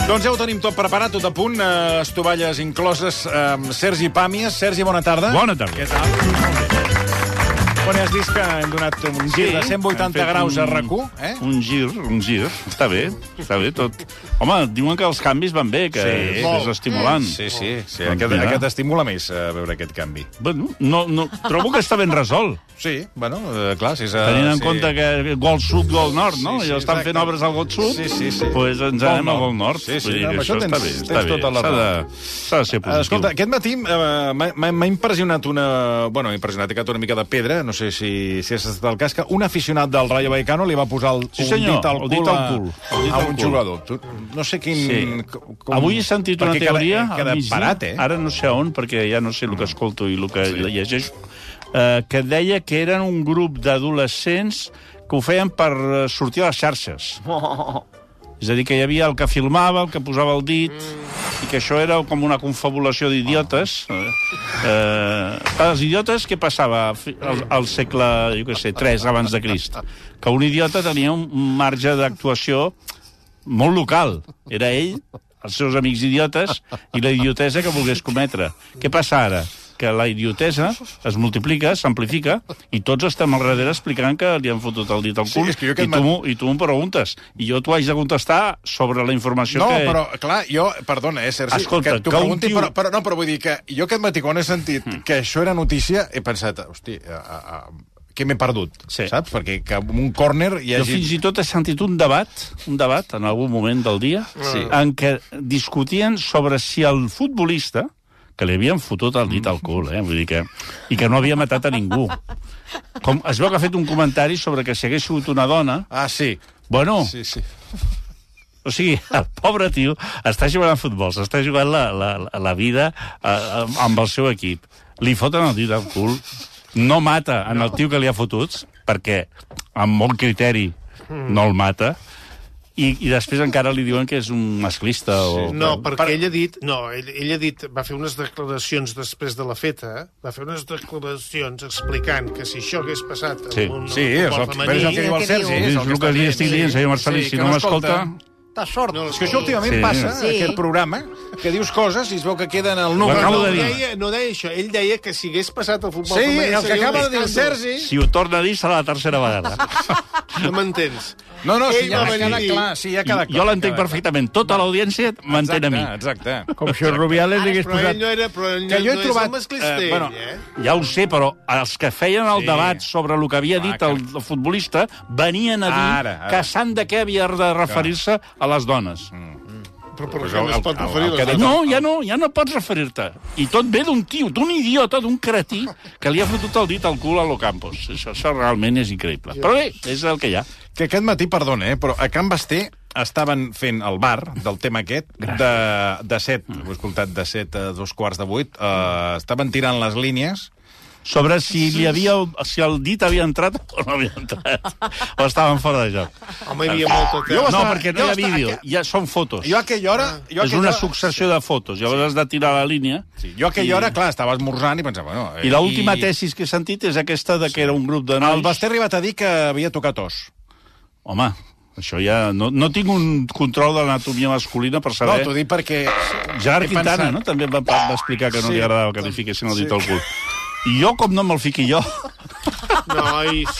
Doncs ja ho tenim tot preparat, tot a punt, estovalles incloses. Sergi Pàmies. Sergi, bona tarda. Bona tarda. Què tal? Molt bé. Quan has dit que hem donat un gir de 180 graus a RAC1, eh? Un gir. Està bé tot. Home, diuen que els canvis van bé, que és estimulant. Sí. Aquest estimula més veure aquest canvi. Bueno, no, trobo que està ben resolt. Sí, bueno, clar, si és... Tenint en compte que gol sud, gol nord, no? I estan fent obres al gol sud, doncs ens anem al gol nord. Sí, això està bé. Tota la raó. S'ha de ser positiu. Escolta, aquest matí m'ha impressionat m'ha impressionat una mica de pedra, no sé si has estat el cas, que un aficionat del Rayo Vallecano li va posar un dit al cul a un jugador. No sé quin... Avui he sentit una teoria, barat, ara no sé on, perquè ja no sé el que escolto i el que llegeixo, que deia que eren un grup d'adolescents que ho feien per sortir a les xarxes. És a dir, que hi havia el que filmava, el que posava el dit, i que això era com una confabulació d'idiotes. Els idiotes, què passava al segle, jo què sé, 3 abans de Crist? Que un idiota tenia un marge d'actuació molt local. Era ell, els seus amics idiotes, i la idiotesa que volgués cometre. Què passa ara? Que la idiotesa es multiplica, s'amplifica, i tots estem al darrere explicant que li han fotut el dit al cul, i tu m'ho preguntes. I jo t'ho haig de contestar sobre la informació que... No, però, clar, perdona, Sergi, escolta, que t'ho pregunti, però vull dir que jo aquest matí, quan he sentit que això era notícia, he pensat, hosti, què m'he perdut, saps? Perquè que un córner hi hagi... Jo fins i tot he sentit un debat en algun moment del dia, en què discutien sobre si el futbolista, que li havien fotut el dit al cul, vull dir que... I que no havia matat a ningú. Es veu que ha fet un comentari sobre que si hagués sigut una dona... Ah, sí. Bueno... Sí. O sigui, el pobre tio està jugant a futbol, s'està jugant la vida amb el seu equip. Li foten el dit al cul, no mata en el tio que li ha fotut, perquè amb molt criteri no el mata, i després encara li diuen que és un masclista. No, perquè ell ha dit... No, ell ha dit... Va fer unes declaracions després de la feta, va fer unes declaracions explicant que si això hagués passat amb un futbol femení... És el que diu el Sergi. És el que li estic dient, senyor Marcelí, si no m'escolta... T'has sort. És que això últimament passa, aquest programa, que dius coses i es veu que queden al número. No deia això. Ell deia que si hagués passat al futbol femení... Sí, el que acaba de dir el Sergi... Si ho torna a dir serà la tercera vegada. No m'entens. No, sí, ja queda clar. Jo l'entenc perfectament. Tota l'audiència m'entén a mi. Exacte. Com si el Rubiales li hagués posat... Però ell no és el masclista, ell, Ja ho sé, però els que feien el debat sobre el que havia dit el futbolista venien a dir que sant de què havia de referir-se a les dones. Però per què no es pot referir a les dones? Ja no pots referir-te. I tot ve d'un tio, d'un idiota, d'un cretí, que li ha fotut el dit al cul a L'Ocampos. Això realment és increïble. Però bé, és el que hi ha. Que aquest matí, perdona, però a Can Basté estaven fent el bar del tema aquest de 7, ho he escoltat, de 7 a 2:15, estaven tirant les línies sobre si el dit havia entrat o no havia entrat. O estaven fora de joc. Home, hi havia molta tema. No, perquè no hi ha vídeo, ja són fotos. Jo a aquella hora... És una successió de fotos, llavors has de tirar la línia. Jo a aquella hora, clar, estava esmorzant i pensava... I l'última tesis que he sentit és aquesta de que era un grup de nois... El Basté ha arribat a dir que havia tocat os. Home, això ja... No tinc un control de l'anatomia masculina per saber... No, t'ho dic perquè... Gerard Quintana, no? També va explicar que no li agradava que li fiquessin el dit al cul. I jo, com no me'l fiqui jo... Nois,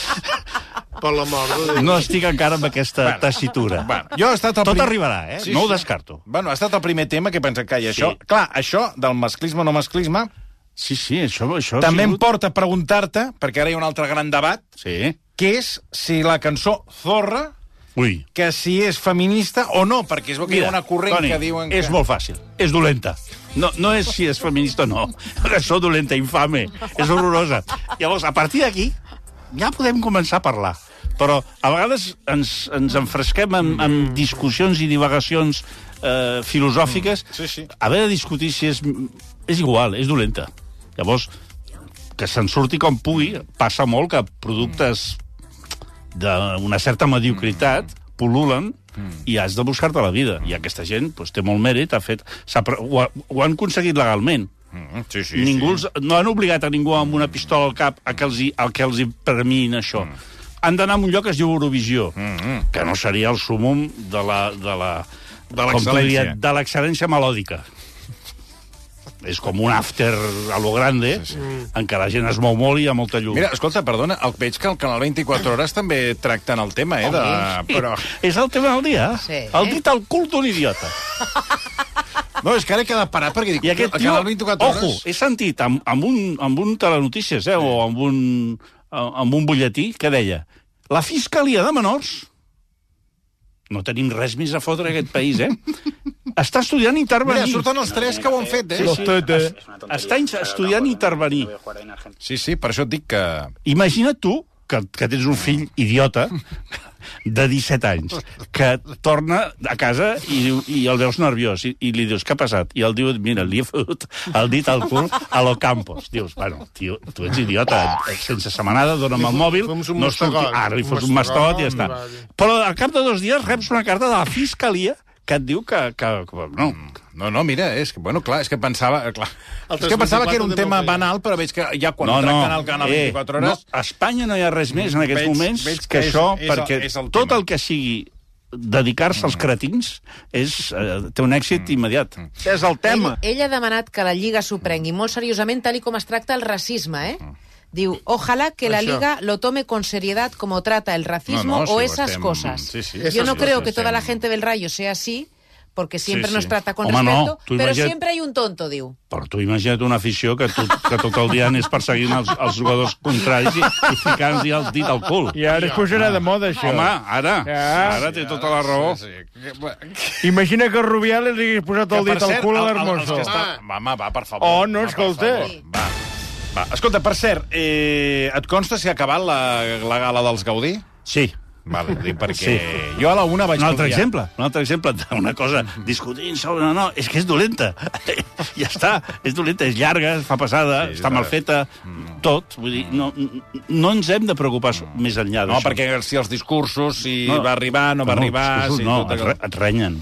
per la mort de Déu. No estic encara amb aquesta tessitura. Jo he estat Tot arribarà, no ho descarto. Bueno, ha estat el primer tema que he pensat que això... Clar, això del masclisme o no masclisme... Sí, això... També em porta a preguntar-te, perquè ara hi ha un altre gran debat, que és si la cançó Zorra... que si és feminista o no, perquè es veu que hi ha una corrent que diuen que... És molt fàcil, és dolenta. No és si és feminista o no. Que sou dolenta, infame, és horrorosa. Llavors, a partir d'aquí, ja podem començar a parlar. Però a vegades ens enfresquem en discussions i divagacions filosòfiques. Haver de discutir si és igual, és dolenta. Llavors, que se'n surti com pugui, passa molt que productes d'una certa mediocritat pul·lulen i has de buscar-te la vida. I aquesta gent té molt mèrit, ho han aconseguit legalment. No han obligat a ningú amb una pistola al cap a que els permin això. Han d'anar a un lloc que es diu Eurovisió, que no seria el súmum de de l'excel·lència melòdica. És com un after a lo grande, en què la gent es mou molt i hi ha molta llum. Mira, escolta, perdona, veig que el Canal 24 Hores també tracten el tema, però... És el tema del dia. Sí. El dit al cul d'un idiota. No, és que ara he quedat parat perquè dic, el Canal 24 Hores... Ojo, he sentit amb un telenotícies, o amb un butlletí, que deia la Fiscalia de Menors, no tenim res més a fotre en aquest país, està estudiant intervenir. Mira, surten els tres que ho han fet, Està estudiant intervenir. Sí, per això et dic que... Imagina't tu, que tens un fill idiota de 17 anys, que torna a casa i el veus nerviós, i li dius, què ha passat? I el diu, mira, li he fotut el dit al cul a lo Campos. Dius, bueno, tio, tu ets idiota, sense setmanada, dona'm el mòbil, no surti, ara li fos un mastot i ja està. Però al cap de 2 dies reps una carta de la Fiscalia que et diu que no. No, mira, és que pensava... És que pensava que era un tema banal, però veig que ja quan tracten el Canal 24 Hores... A Espanya no hi ha res més en aquests moments que això, perquè tot el que sigui dedicar-se als cretins té un èxit immediat. És el tema. Ell ha demanat que la Lliga s'ho prengui molt seriosament, tal com es tracta el racisme, Diu, ojalá que la Liga lo tome con seriedad como trata el racismo o esas cosas. Yo no creo que toda la gente del Rayo sea así, porque siempre nos trata con respeto, pero siempre hay un tonto, diu. Però tu imagina't una afició que tot el dia anés perseguint els jugadors contraris i ficant-hi el dit al cul. I ara es posarà de moda, això. Home, ara té tota la raó. Imagina que Rubiales li hagués posat el dit al cul a l'Hermoso. Home, va, per favor. Oh, no, escolta. Va, escolta, per cert, et consta si ha acabat la gala dels Gaudí? Sí. Vale, dic perquè jo a la una vaig... Un altre exemple d'una cosa discutint sobre... No, és que és dolenta. Ja està, és dolenta, és llarga, es fa passada, està mal feta, tot. Vull dir, no ens hem de preocupar més enllà d'això. No, perquè si els discursos, si va arribar, no va arribar... No, et renyen.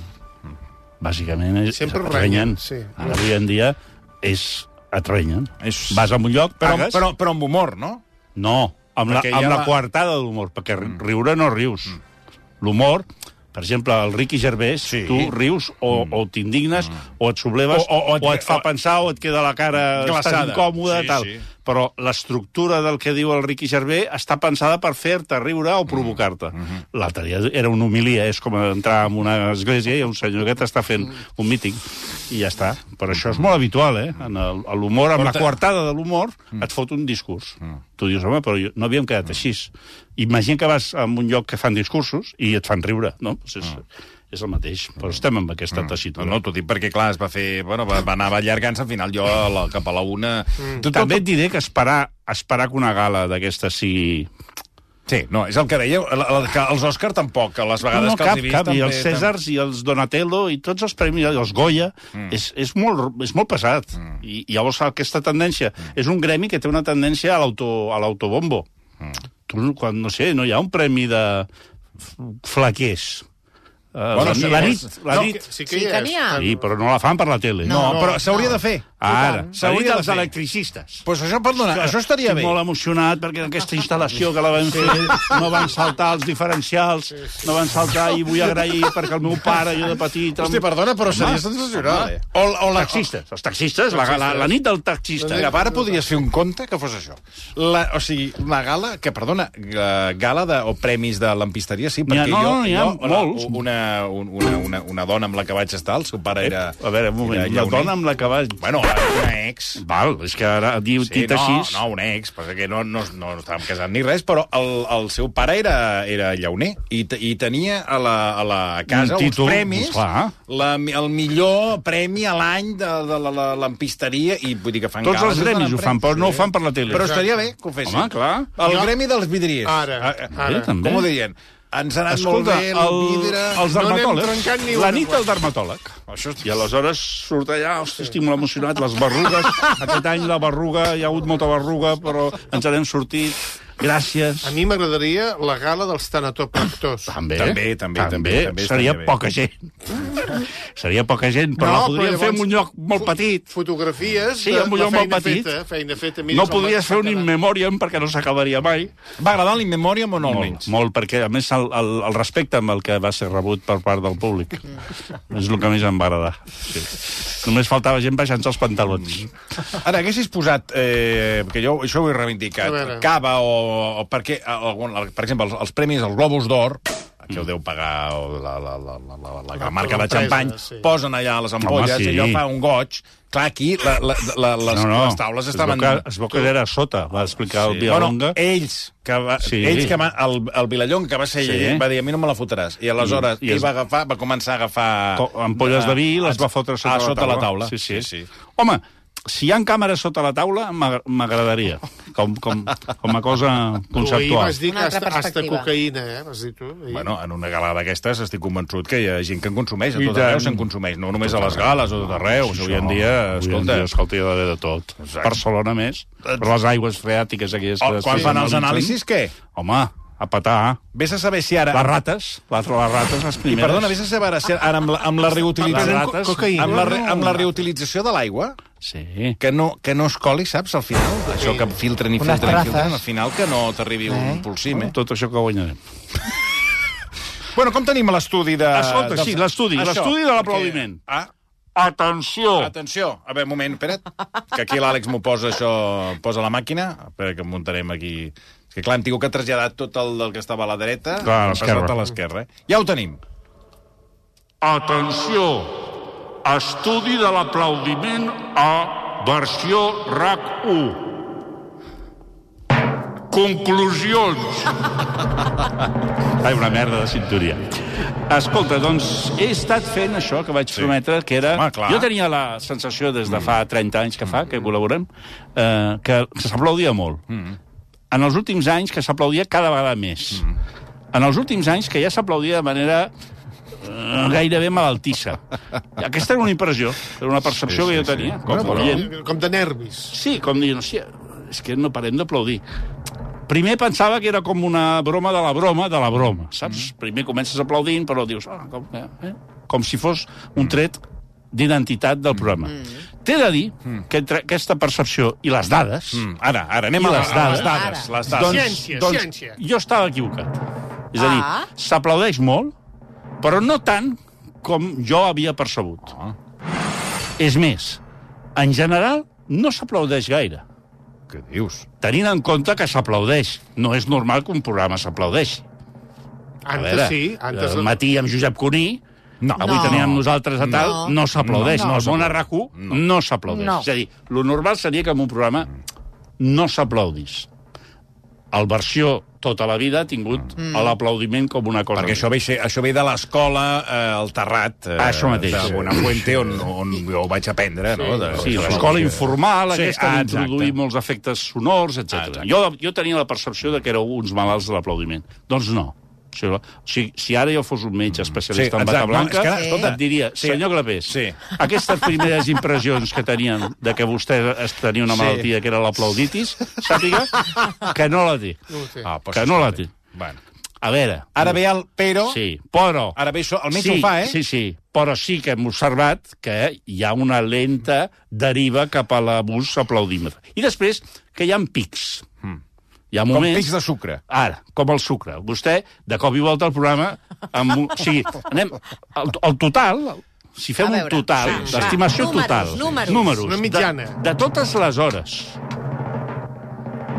Bàsicament, et renyen. Avui en dia et renyen. Vas a un lloc, pagues... Però amb humor, no? No, amb la coartada d'humor, perquè riure no rius. L'humor, per exemple, el Ricky Gervais, tu rius o t'indignes, o et subleves, o et fa pensar, o et queda la cara estàs incòmode, tal. Però l'estructura del que diu el Ricky Gervais està pensada per fer-te riure o provocar-te. L'altre dia era una homilia, és com entrar en una església i un senyor que t'està fent un míting, i ja està. Però això és molt habitual, en l'humor, amb la coartada de l'humor, et fot un discurs. Tu dius, home, però no havíem quedat així. Imagina que vas a un lloc que fan discursos i et fan riure, no? És el mateix, però estem amb aquesta tessitura. No, t'ho dic perquè, clar, es va fer... Bueno, va anar allargant-se, al final jo cap a la una... També et diré que esperar que una gala d'aquesta sigui... Sí, no, és el que dèieu, que els Òscar tampoc, a les vegades que els he vist... Cap, i els Cèsars i els Donatello i tots els premis, els Goya, és molt pesat. I llavors aquesta tendència... És un gremi que té una tendència a l'autobombo. Quan, no sé, no hi ha un premi de flaquers... La nit. Sí que n'hi ha. Sí, però no la fan per la tele. No, però s'hauria de fer. Ara, s'hauria dels electricistes. Pues això, perdona, això estaria bé. Estic molt emocionat perquè aquesta instal·lació que la vam fer no van saltar els diferencials, no van saltar i vull agrair perquè el meu pare, jo de petit... Hòstia, perdona, però seria sensacional. Els taxistes, la nit del taxista. Mira, ara podries fer un conte que fos això. O sigui, la gala, que, perdona, gala o premis de lampisteria, sí, perquè jo, una dona amb la que vaig estar, el seu pare era... A veure, un moment, una dona amb la que vaig... Bueno, una ex. Val, és que ara dit així... No, una ex, perquè no estàvem casant ni res, però el seu pare era llauner i tenia a la casa uns premis, el millor premi a l'any de la lampisteria, i vull dir que fan tots els gremis ho fan, però no ho fan per la tele. Però estaria bé que ho fessin. Home, clar. El gremi dels vidriers. Ara. Com ho dirien? Ens ha anat molt bé el vidre... Els dermatòlegs, la nit del dermatòleg. I aleshores surt allà, hosti, estic molt emocionat, les berrugues, aquest any la berruga, hi ha hagut molta berruga, però ens n'hem sortit. gràcies. A mi m'agradaria la gala dels tanatopractors. També. Seria poca gent. Seria poca gent, però la podríem fer en un lloc molt petit. Fotografies de la feina feta. No podries fer un in memoriam perquè no s'acabaria mai. Va agradar l'in memoriam o no almenys? Molt, perquè a més el respecte amb el que va ser rebut per part del públic. És el que més em va agradar. Sí. Només faltava gent baixant-se els pantalons. Ara, haguessis posat, perquè jo això ho he reivindicat, cava o perquè, per exemple, els premis, els Globus d'Or, que ho deu pagar la marca de xampany, posen allà les ampolles i allò fa un goig. Clar, aquí les taules estaven... Es veu que era a sota, va explicar el Vilallonga. El Vilallonga, que va ser ell, va dir, a mi no me la fotràs. I aleshores ell va començar a agafar... Ampolles de vi i les va fotre sota la taula. Sí. Home, si hi ha càmeres sota la taula, m'agradaria, com a cosa conceptual. Tu vas dir que hasta cocaïna, vas dir tu. Bueno, en una gala d'aquestes estic convençut que hi ha gent que en consumeix, a tot arreu se'n consumeix, no només a les gales, a tot arreu. Avui en dia, escolta, hi ha d'haver de tot. Barcelona més, per les aigües freàtiques aquestes. Quan fan els anàlisis, què? Home, a petar. Vés a saber si ara... Les rates, les primeres. I perdona, vés a saber si ara amb la reutilització... Amb la reutilització de l'aigua... Sí. Que no es coli, saps, al final? Això que filtren, al final que no t'arribi un pulsim, Tot això que guanyarem. Bueno, com tenim l'estudi de... Escolta, sí, l'estudi de l'aplaudiment. Atenció! Atenció! A veure, un moment, espera't, que aquí l'Àlex m'ho posa això, posa la màquina, espera que em muntarem aquí... És que clar, hem tingut que traslladar tot el del que estava a la dreta, a l'esquerra. Ja ho tenim. Atenció! Estudi de l'aplaudiment a versió RAC1. Conclusions. Ai, una merda de cinturia. Escolta, doncs, he estat fent això que vaig prometre, que era... Jo tenia la sensació des de fa 30 anys que col·laborem, que s'aplaudia molt. En els últims anys que s'aplaudia cada vegada més. En els últims anys que ja s'aplaudia de manera gairebé malaltissa. Aquesta era una impressió, era una percepció que jo tenia. Com de nervis. Sí, com dient, és que no parem d'aplaudir. Primer pensava que era com una broma de la broma, saps? Primer comences aplaudint, però dius, com si fos un tret d'identitat del programa. T'he de dir que entre aquesta percepció i les dades... Ara, anem a les dades. Ciència. Jo estava equivocat. És a dir, s'aplaudeix molt, però no tant com jo havia percebut. És més, en general, no s'aplaudeix gaire. Què dius? Tenint en compte que s'aplaudeix. No és normal que un programa s'aplaudeixi. Antes sí. Al matí amb Josep Cuní, avui teníem nosaltres a tal, no s'aplaudeix. No, al món a RAC1 no s'aplaudeix. És a dir, lo normal seria que en un programa no s'aplaudís. El versió tota la vida ha tingut l'aplaudiment com una cosa. Perquè això ve de l'escola al Terrat, això mateix. De Bonafuente, on jo vaig aprendre. Sí, l'escola informal, aquesta d'introduir molts efectes sonors, etc. Jo tenia la percepció que éreu uns malalts de l'aplaudiment. Doncs no. O sigui, si ara jo fos un metge especialista en bata blanca, et diria, senyor Clapés, aquestes primeres impressions que tenien de que vostè tenia una malaltia que era l'aplauditis, sàpiga que no la té. Que no la té. A veure... Ara ve el però... Sí, però... Ara ve això, el metge ho fa, Sí, però sí que hem observat que hi ha una lenta deriva cap a l'abús aplaudímetre. I després que hi ha pics. Hi ha moments... Com pics de sucre. Ara, com el sucre. Vostè, de cop i volta al programa... O sigui, anem... El total... Si fem un total, l'estimació total... Números. Una mitjana. De totes les hores,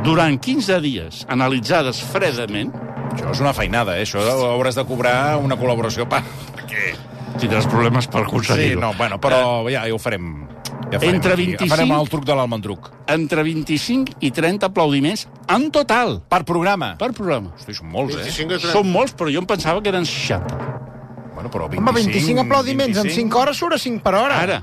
durant 15 dies, analitzades fredament... Això és una feinada, Això hauràs de cobrar una col·laboració perquè... Tindràs problemes per aconseguir-ho. Sí, però ja ho farem... Entre 25... Farem el truc de l'almendruc. Entre 25 i 30 aplaudiments en total. Per programa? Per programa. Hosti, són molts, Són molts, però jo em pensava que eren 60. Bueno, però 25... Home, 25 aplaudiments en 5 hores surt a 5 per hora. Ara,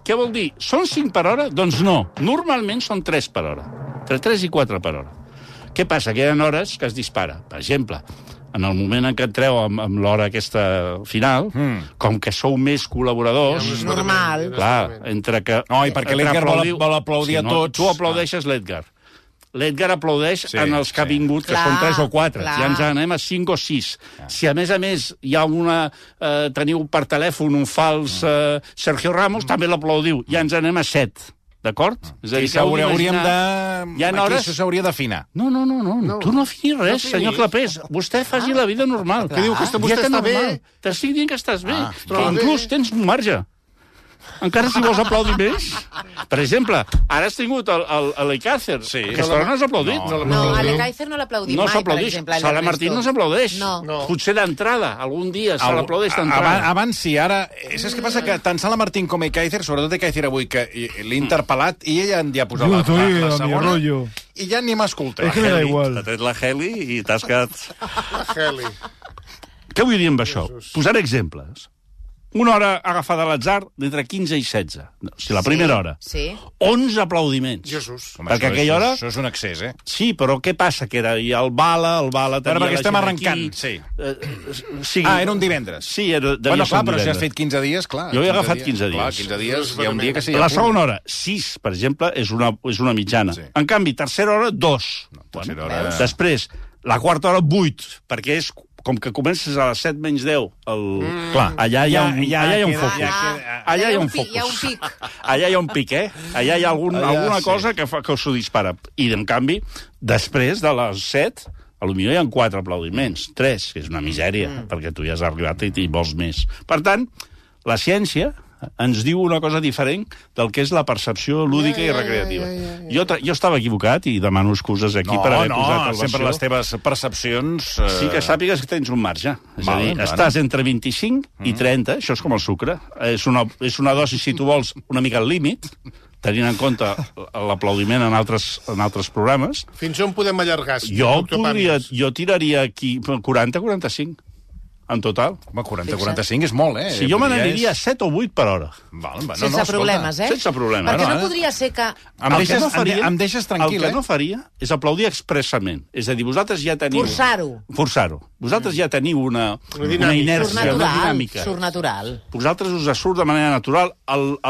què vol dir? Són 5 per hora? Doncs no. Normalment són 3 per hora. Entre 3 i 4 per hora. Què passa? Que hi ha hores que es dispara. Per exemple, en el moment en què entreu amb l'hora aquesta final, com que sou més col·laboradors... És normal. Clar, entre que... No, i perquè l'Edgar vol aplaudir a tots. Tu aplaudeixes l'Edgar. l'Edgar aplaudeix en els que ha vingut, que són 3 o 4. Ja ens anem a 5 o 6. Si a més hi ha teniu per telèfon un fals Sergio Ramos, també l'aplaudiu. Ja ens anem a 7. D'acord? És a dir, hauríem de... Aquí això s'hauria d'afinar. No. Tu no afinis res, senyor Clapés. Vostè faci la vida normal. Que diu que vostè està bé. T'estic dient que estàs bé. Que inclús tens un marge. Encara si vols aplaudir més. Per exemple, ara has tingut l'Alicàcer. Aquesta hora no has aplaudit. No, a l'Alicàcer no l'aplaudim mai, per exemple. Sala Martín no s'aplaudeix. Potser d'entrada, algun dia se l'aplaudeix d'entrada. Abans sí, ara... Saps què passa? Que tant Sala Martín com Ecáizer, sobretot Ecáizer avui, que l'he interpel·lat i ella ja ha posat la segona i ja ni m'ha escoltat. És que me da igual. T'ha tret la Heli i t'has quedat... Heli. Què vull dir amb això? Posar exemples. Una hora agafada a l'atzar d'entre 15 i 16. O sigui, la primera hora. 11 aplaudiments. Jesús. Perquè aquella hora... Això és un excés, eh? Sí, però què passa? Que era el bala tenia perquè estem arrencant, era un divendres. Sí, devia ser un però divendres. si has fet 15 dies, clar. Jo he agafat 15 dies. Clar, 15 dies, hi ha un dia que sí. La segona hora, 6, per exemple, és una mitjana. En canvi, tercera hora, 2. Després, la quarta hora, 8, perquè és... Com que comences a les 7 menys 10, allà hi ha un focus. Allà hi ha un focus. Hi ha un pic. Allà hi ha un pic, eh? Allà hi ha alguna cosa que s'ho dispara. I, en canvi, després de les 7, potser hi ha 4 aplaudiments, 3, que és una misèria, perquè tu ja has arribat i vols més. Per tant, la ciència ens diu una cosa diferent del que és la percepció lúdica i recreativa. Jo estava equivocat i demano excuses aquí per haver posat el versió. Sempre les teves percepcions... Sí que sàpigues que tens un marge. És a dir, estàs entre 25 i 30, això és com el sucre. És una dosi, si tu vols, una mica al límit, tenint en compte l'aplaudiment en altres programes. Fins on podem allargar? Jo tiraria aquí 40-45. En total. Home, 40-45 és molt, eh? Si jo me n'aniria 7 o 8 per hora. Sense problemes, eh? Sense problemes. Perquè no podria ser que... Em deixes tranquil, El que no faria és aplaudir expressament. És a dir, vosaltres ja teniu... Forçar-ho. Vosaltres ja teniu una inèrcia, una dinàmica. Surt natural. Vosaltres us surt de manera natural.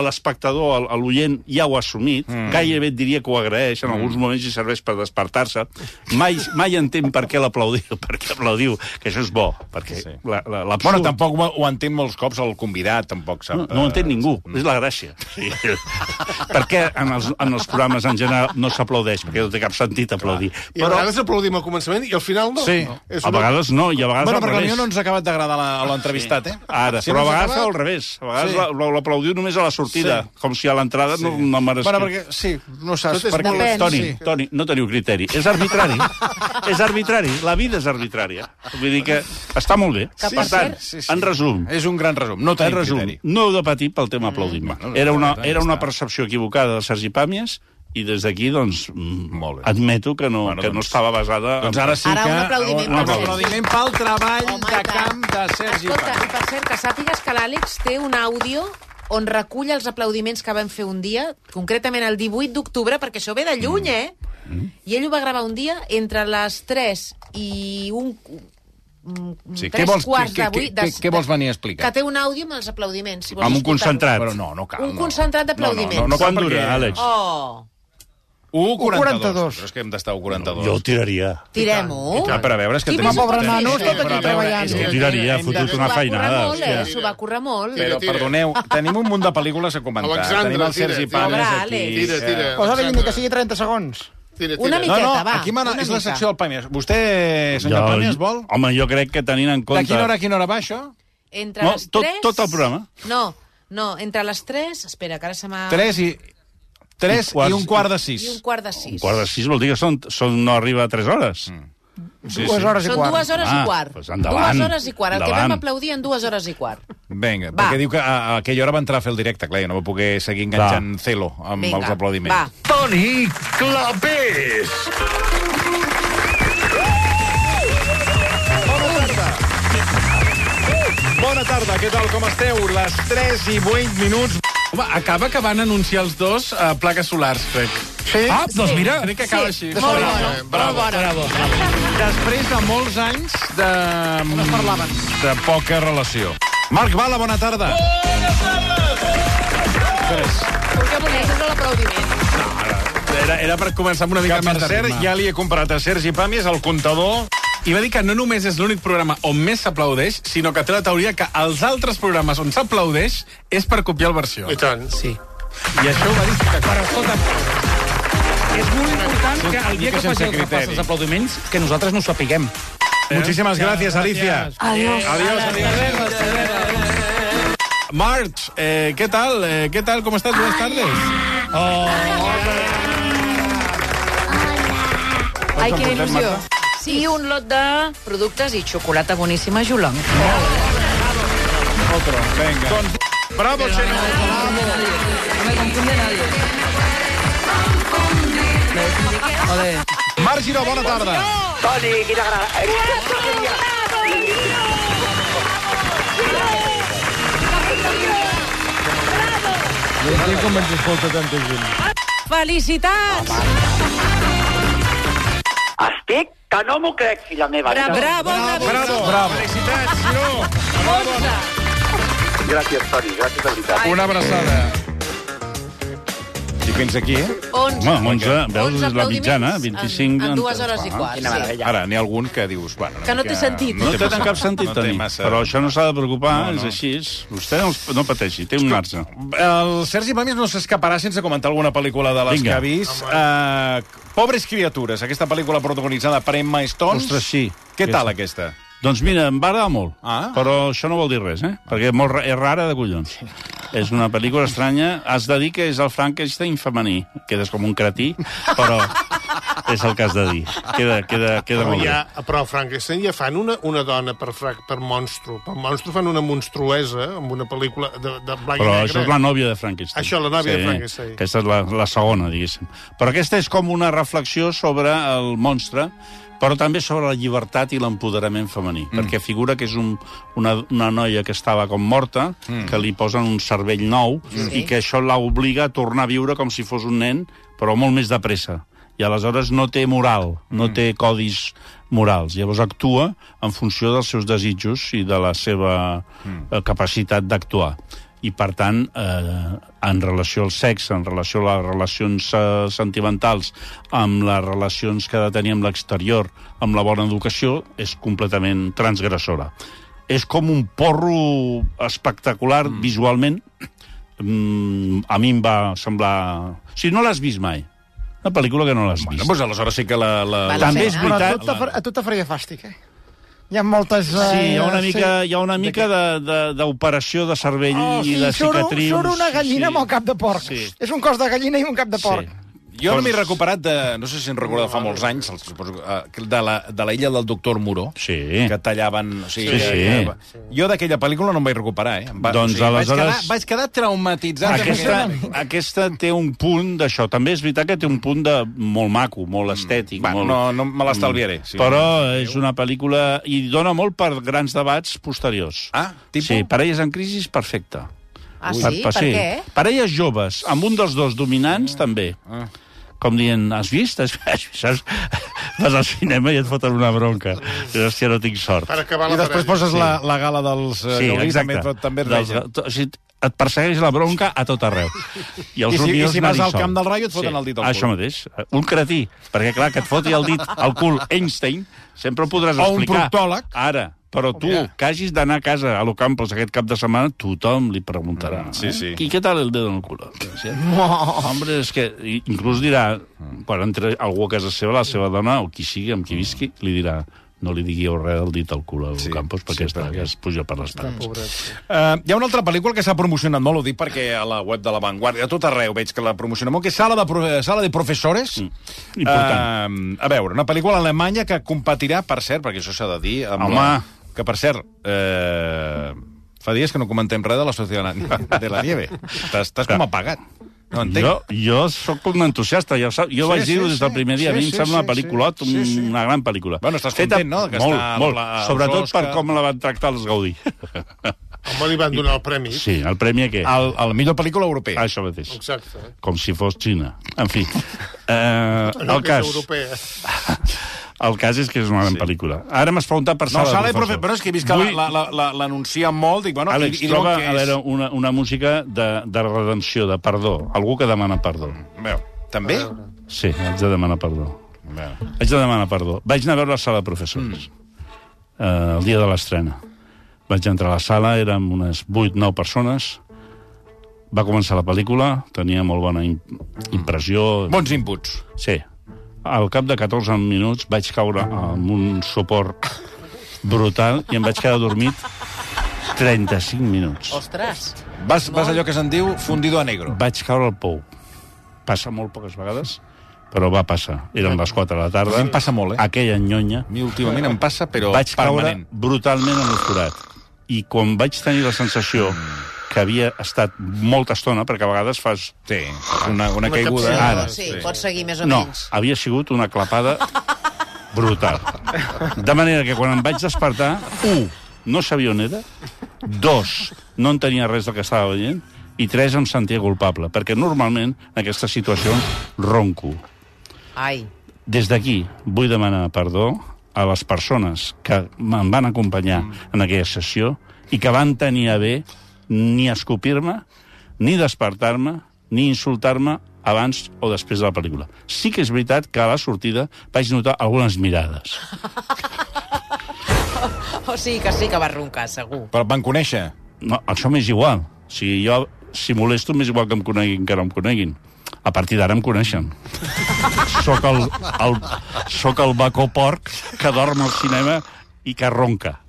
L'espectador, l'oient, ja ho ha assumit. Gairebé et diria que ho agraeix. En alguns moments hi serveix per despertar-se. Mai entén per què l'aplaudiu, que això és bo, perquè... Bueno, tampoc ho entén molts cops el convidat, tampoc sap... No ho entén ningú, és la gràcia. Perquè en els programes en general no s'aplaudeix, perquè no té cap sentit aplaudir. I a vegades aplaudim al començament i al final no. Sí, a vegades no, i a vegades al revés. Perquè a mi no ens ha acabat d'agradar l'entrevistat, eh? Ara, però a vegades al revés. A vegades l'aplaudiu només a la sortida, com si a l'entrada no mereixés. Bueno, perquè, sí, no saps... Toni, no teniu criteri. És arbitrari. És arbitrari. La vida és arbitrària. Vull dir que està molt bé. Per tant, en resum... És un gran resum. No tenim criteri. No heu de patir pel tema aplaudiment. Era una percepció equivocada de Sergi Pàmies i des d'aquí, doncs, admeto que no estava basada... Doncs ara sí que... Un aplaudiment pel treball de camp de Sergi Pàmies. Escolta, i per cert, que sàpigues que l'Àlex té un àudio on recull els aplaudiments que vam fer un dia, concretament el 18 d'octubre, perquè això ve de lluny, eh? I ell ho va gravar un dia entre les 3 i un... Sí, què vols venir a explicar? Que té un àudio amb els aplaudiments. Si amb un concentrat. Però no cal. Un concentrat d'aplaudiments. No, quan dura, Àlex? 1:42. Però és que hem d'estar a 1:42. Jo ho tiraria. Tirem-ho. Per a veure, és que tenim... pobre nano, tot aquí treballant. Jo tiraria, fotut una feinada. S'ho va currar molt. Però, perdoneu, tenim un munt de pel·lícules a comentar. Tenim el Sergi Pàmies aquí. Tira. Posa-li ni que sigui 30 segons. Una miqueta, va. Aquí és la secció del Pàmies. Vostè, senyor Pàmies, vol? Home, jo crec que tenint en compte... De quina hora va, això? Entre les 3... Tot el programa. No, entre les 3... Espera, que ara se m'ha... 3 i 1:15. I 1:15. 1:15 vol dir que no arriba a 3 hores. 2 hores i quart. Són 2 hores i quart. Doncs endavant. 2 hores i quart. El que vam aplaudir en 2 hores i quart. Vinga, perquè diu que a aquella hora va entrar a fer el directe, clar, i no va poder seguir enganxant Celo amb els aplaudiments. Va. Toni Clapés! Bona tarda, què tal, com esteu? Les 3 i 8 minuts... Home, acaba que van anunciar els dos plaques solars, crec. Sí? Doncs mira, crec que acaba així. Bravo. Després de molts anys de... No es parlaven. De poca relació. Marc Bala, bona tarda. El que voleu és l'aplaudiment. Era per començar amb una mica més de ritme. Per cert, ja li he comprat a Sergi Pàmies el comptador. I va dir que no només és l'únic programa on més s'aplaudeix, sinó que té la teoria que els altres programes on s'aplaudeix és per copiar el versió. I tant, sí. I això ho va dir... Però escolta, és molt important que el dia que faci el repàs dels aplaudiments, que nosaltres no ho sapiguem. Muchísimas gracias, Alicia. Adiós. March, ¿qué tal? ¿Qué tal? ¿Cómo estás? Buenas tardes. Ai, quina il·lusió. Sí, un lot de productes i xocolata boníssima Jolong. Otro, venga. Bravo, Xeno. No me confunde nadie. Marc Giró, bona tarda. Toni, quina gran... No entenc com ens escolta tanta gent. Felicitats! Estic que no m'ho crec, filla meva. Bravo. Felicitats, Giró. Gràcies, Toni, gràcies de veritat. Una abraçada. I fins aquí, 11. Home, 11, veus, és la mitjana, 25... En 2 hores i quart, sí. Ara, n'hi ha algun que dius... Bueno, Que no té sentit. No té cap sentit, Toni. Però això no s'ha de preocupar, és així. Vostè no pateixi, té un marge. El Sergi Pàmies no s'escaparà sense comentar alguna pel·lícula de les que ha vist. Pobres criatures, aquesta pel·lícula protagonitzada per Emma Stone. Ostres, sí. Què tal, aquesta? Doncs mira, em va agradar molt, però això no vol dir res, perquè és rara de collons. És una pel·lícula estranya. Has de dir que és el Frankenstein femení. Quedes com un cretí, però és el que has de dir. Queda molt bé. Però a Frankenstein ja fan una dona per monstru. Per monstru fan una monstruesa amb una pel·lícula de blanc i negre. Però això és la nòvia de Frankenstein. Això, la nòvia de Frankenstein. Aquesta és la segona, diguéssim. Però aquesta és com una reflexió sobre el monstre, però també sobre la llibertat i l'empoderament femení, perquè figura que és una noia que estava com morta, que li posen un cervell nou, i que això l'obliga a tornar a viure com si fos un nen, però molt més de pressa. I aleshores no té moral, no té codis morals. Llavors actua en funció dels seus desitjos i de la seva capacitat d'actuar. I, per tant, en relació al sexe, en relació a les relacions sentimentals, amb les relacions que ha de tenir amb l'exterior, amb la bona educació, és completament transgressora. És com un porro espectacular visualment. A mi em va semblar... O sigui, no l'has vist mai. Una pel·lícula que no l'has vist. Doncs aleshores sí que També és veritat... A tu t'faria fàstic, Hi ha moltes... Sí, hi ha una mica d'operació de cervell i de cicatrius. Surt una gallina amb el cap de porc. És un cos de gallina i un cap de porc. Jo no m'he recuperat no sé si en recordo fa molts anys, de la illa del doctor Moreau, que tallaven... Jo d'aquella pel·lícula no em vaig recuperar, Doncs aleshores... Vaig quedar traumatitzat. Aquesta té un punt d'això. També és veritat que té un punt de molt maco, molt estètic. No me l'estalviaré. Però és una pel·lícula... I dona molt per grans debats posteriors. Sí, Parelles en crisi, perfecte. Ah, sí? Per què? Parelles joves, amb un dels dos dominants, també. Com dient, has vist? Saps? Vas al cinema i et foten una bronca. Hòstia, no tinc sort. I després poses la gala dels... Sí, exacte. També et persegueix la bronca a tot arreu. I si vas al Camp del Rayo et foten el dit al cul. Això mateix. Un cretí. Perquè, clar, que et foti el dit al cul Einstein, sempre ho podràs explicar. O un proctòleg. Ara. Però tu, que hagis d'anar a casa a l'Ocampos aquest cap de setmana, tothom li preguntarà. I què tal el dedo en el cul? Hombre, és que inclús dirà, quan entra algú a casa seva, la seva dona, o qui sigui, amb qui visqui, li dirà, no li diguiu res del dit al cul a l'Ocampos, perquè es puja per les parets. Hi ha una altra pel·lícula que s'ha promocionat molt, ho dic perquè a la web de La Vanguardia, a tot arreu veig que la promociona molt, que és Sala de Professores. Important. A veure, una pel·lícula alemanya que competirà, per cert, perquè això s'ha de dir... Que, per cert, fa dies que no comentem res de la Societat de la Nieve. Estàs com apagat. No entenc. Jo sóc un entusiasta, jo vaig dir-ho des del primer dia. A mi em sembla una pel·lícula, una gran pel·lícula. Bueno, estàs content, no? Molt, sobretot per com la van tractar els Gaudí. Home, li van donar el premi. Sí, el premi a què? A la millor pel·lícula europea. Això mateix. Exacte. Com si fos Xina. En fi. El cas... El cas és que és una gran pel·lícula. Ara m'has preguntat per Sala de Professors. Però és que he vist que l'anuncia molt. Dic, bueno, Àlex, troba a veure una música de redenció, de perdó. Algú que demana perdó. Veu, també? Sí, haig de demanar perdó. Vaig anar a veure la sala de professors. El dia de l'estrena. Vaig entrar a la sala, érem unes 8-9 persones. Va començar la pel·lícula, tenia molt bona impressió. Bons inputs. Sí. Al cap de 14 minuts vaig caure amb un suport brutal i em vaig quedar dormit 35 minuts. Ostres! Vas allò que se'n diu fundido a negro. Vaig caure al pou. Passa molt poques vegades, però va passar. Eren les 4 de la tarda. A mi em passa molt, Aquella nyonya. A mi últimament em passa, però vaig permanent. Vaig caure brutalment en el forat. I quan vaig tenir la sensació que havia estat molta estona, perquè a vegades fas... Sí, una caiguda. Ara, sí, pots seguir més o menys. No, havia sigut una clapada brutal. De manera que quan em vaig despertar, 1, no sabia on era, 2, no en tenia res del que estava veient, i 3, em sentia culpable, perquè normalment en aquestes situacions ronco. Ai. Des d'aquí vull demanar perdó a les persones que em van acompanyar en aquella sessió i que van tenir a bé ni escopir-me, ni despertar-me, ni insultar-me abans o després de la pel·lícula. Sí que és veritat que a la sortida vaig notar algunes mirades. O sigui que sí que vas roncar, segur. Però et van conèixer? No, això m'és igual. Jo, si molesto, m'és igual que em coneguin que no em coneguin. A partir d'ara em coneixen. Soc el bacó porc que dorm al cinema i que ronca.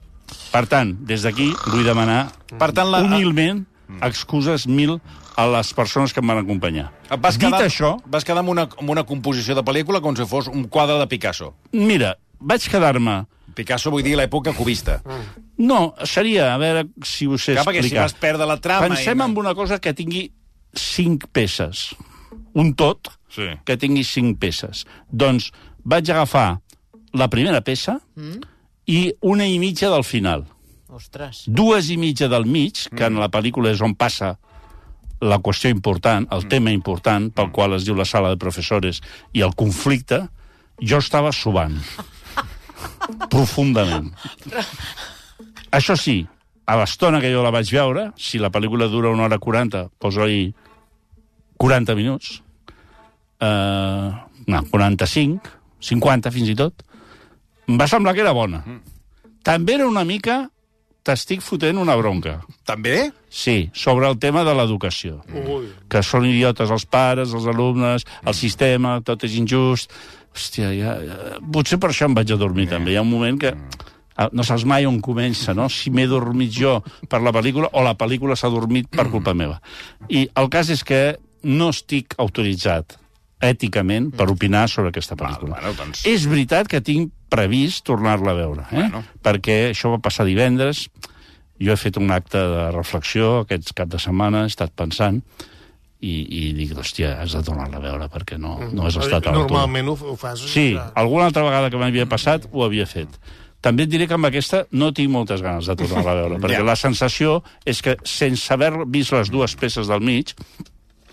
Per tant, des d'aquí vull demanar humilment excuses 1000 a les persones que em van acompanyar. Això... Vas quedar amb una composició de pel·lícula com si fos un quadre de Picasso. Mira, vaig quedar-me... Picasso vull dir l'època cubista. No, seria, a veure si ho sé explicar. Perquè si vas perdre la trama... Pensem en una cosa que tingui 5 peces. Un tot que tingui 5 peces. Doncs vaig agafar la primera peça i una i mitja del final. Ostres. 2 i mitja del mig, que en la pel·lícula és on passa la qüestió important, el tema important, pel qual es diu la sala de professores, i el conflicte, jo estava subant. Profundament. Això sí, a l'estona que jo la vaig veure, si la pel·lícula dura 1 hora 40, poso-hi 40 minuts, 45, 50 fins i tot, em va semblar que era bona. També era una mica... T'estic fotent una bronca. També? Sí, sobre el tema de l'educació. Que són idiotes els pares, els alumnes, el sistema, tot és injust. Hòstia, potser per això em vaig a dormir també. Hi ha un moment que... No saps mai on comença, no? Si m'he dormit jo per la pel·lícula o la pel·lícula s'ha dormit per culpa meva. I el cas és que no estic autoritzat èticament per opinar sobre aquesta pel·lícula. Doncs... És veritat que tinc previst tornar-la a veure, perquè això va passar divendres, jo he fet un acte de reflexió aquest cap de setmana, he estat pensant, i dic, hòstia, has de tornar-la a veure, perquè no has estat a l'altura. Normalment ho fas? Sí, alguna altra vegada que m'havia passat ho havia fet. També et diré que amb aquesta no tinc moltes ganes de tornar-la a veure, perquè la sensació és que, sense haver vist les 2 peces del mig,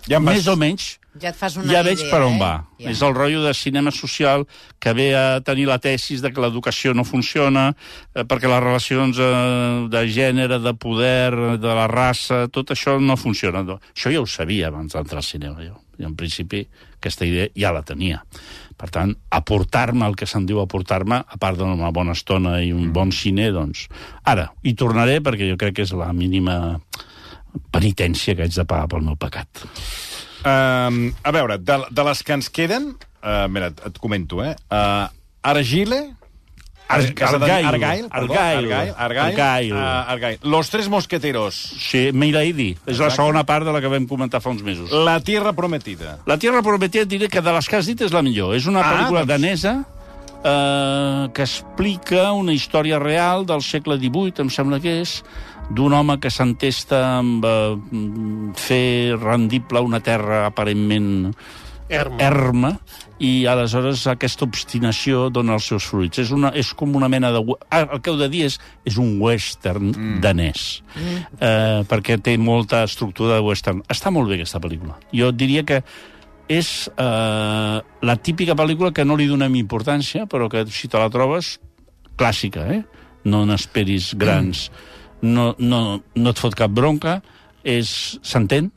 més o menys... Ja et fas una idea, veig per on va. Ja. És el rotllo de cinema social que ve a tenir la tesis de que l'educació no funciona, perquè les relacions de gènere, de poder, de la raça, tot això no funciona. Això ja ho sabia abans d'entrar al cinema, jo. I en principi aquesta idea ja la tenia. Per tant, aportar-me el que se'n diu aportar-me, a part d'una bona estona i un bon cine, doncs... Ara, hi tornaré perquè jo crec que és la mínima penitència que haig de pagar pel meu pecat. A veure, de les que ens queden... mira, et comento, Argyle... Argyle. Los Tres Mosqueteros. Sí, Milady. És la segona part de la que vam comentar fa uns mesos. La Tierra Prometida. La Tierra Prometida diré que de les que has dit és la millor. És una pel·lícula danesa que explica una història real del segle XVIII, em sembla que és, d'un home que s'entesta amb fer rendible una terra aparentment erma, i aleshores aquesta obstinació dona els seus fruits. És com una mena de... El que heu de dir és un western danès, perquè té molta estructura de western. Està molt bé aquesta pel·lícula. Jo diria que és la típica pel·lícula que no li donem importància, però que si te la trobes, clàssica, no n'esperis grans, no et fot cap bronca, s'entén,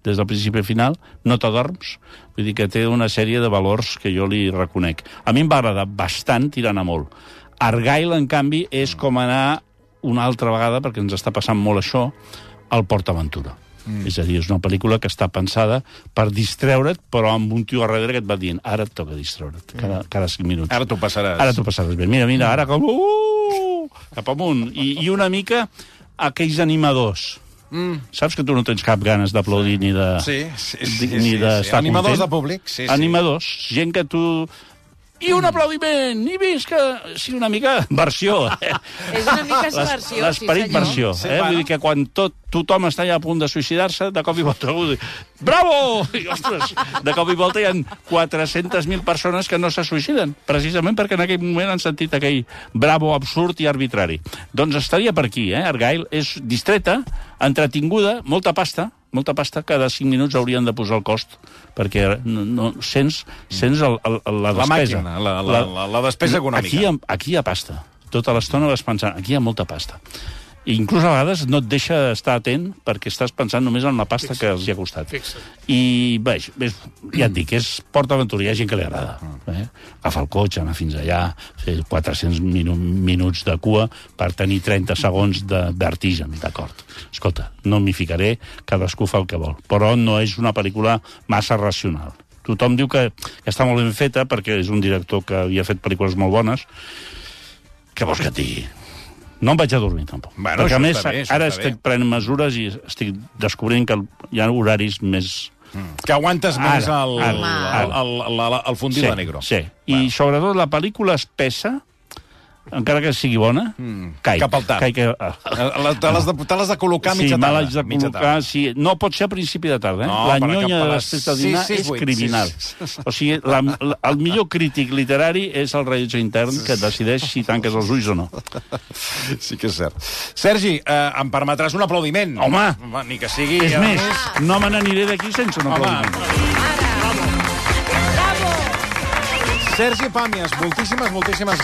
des del principi a final, no t'adorms. Vull dir que té una sèrie de valors que jo li reconec. A mi em va agradar bastant tirant a molt. Argyle, en canvi, és com anar una altra vegada, perquè ens està passant molt això, al PortAventura. És a dir, és una pel·lícula que està pensada per distreure't, però amb un tio a darrere que et va dient ara et toca distreure't, cada 5 minuts. Ara t'ho passaràs. Ara t'ho passaràs bé. Mira, ara com... cap amunt. I una mica aquells animadors. Saps que tu no tens cap ganes d'aplaudir ni de... ni d'estar content? Animadors de públic, sí. Animadors, gent que tu... I un aplaudiment! I visca! Sí, una mica versió. És una mica versió, l'esperit versió. Vull dir que quan tothom està ja a punt de suïcidar-se, de cop i volta algú diu bravo! I, ostres, de cop i volta hi ha 400.000 persones que no se suïciden, precisament perquè en aquell moment han sentit aquell bravo absurd i arbitrari. Doncs estaria per aquí, Argyle és distreta, entretinguda, molta pasta, cada 5 minuts haurien de posar el cost, perquè no sents la despesa. La despesa econòmica. Aquí hi ha pasta. Tota l'estona vas pensant, aquí hi ha molta pasta. I inclús a vegades no et deixa estar atent perquè estàs pensant només en la pasta que els hi ha costat. I bé, ja et dic, és PortAventura, hi ha gent que li agrada. Agafar el cotxe, anar fins allà, fer 400 minuts de cua per tenir 30 segons de vertigen, d'acord. Escolta, no m'hi ficaré, cadascú fa el que vol, però no és una pel·lícula massa racional. Tothom diu que està molt ben feta perquè és un director que havia fet pel·lícules molt bones. Què vols que et digui? No em vaig a dormir, tampoc. Bueno, perquè, a més, ara estic prenent mesures i estic descobrint que hi ha horaris més... Que aguantes més el fundido de negro. Sí, i sobretot la pel·lícula espessa, encara que sigui bona, caic. Cap al tard. Te l'has de col·locar mitja tarda. Sí, me l'haig de col·locar, sí. No pot ser a principi de tarda, La nyonya de després de dinar és criminal. O sigui, el millor crític literari és el rellotge intern que decideix si tanques els ulls o no. Sí que és cert. Sergi, em permetràs un aplaudiment? Home! Ni que sigui... És més, no me n'aniré d'aquí sense un aplaudiment. Sergi Pàmies, moltíssimes gràcies.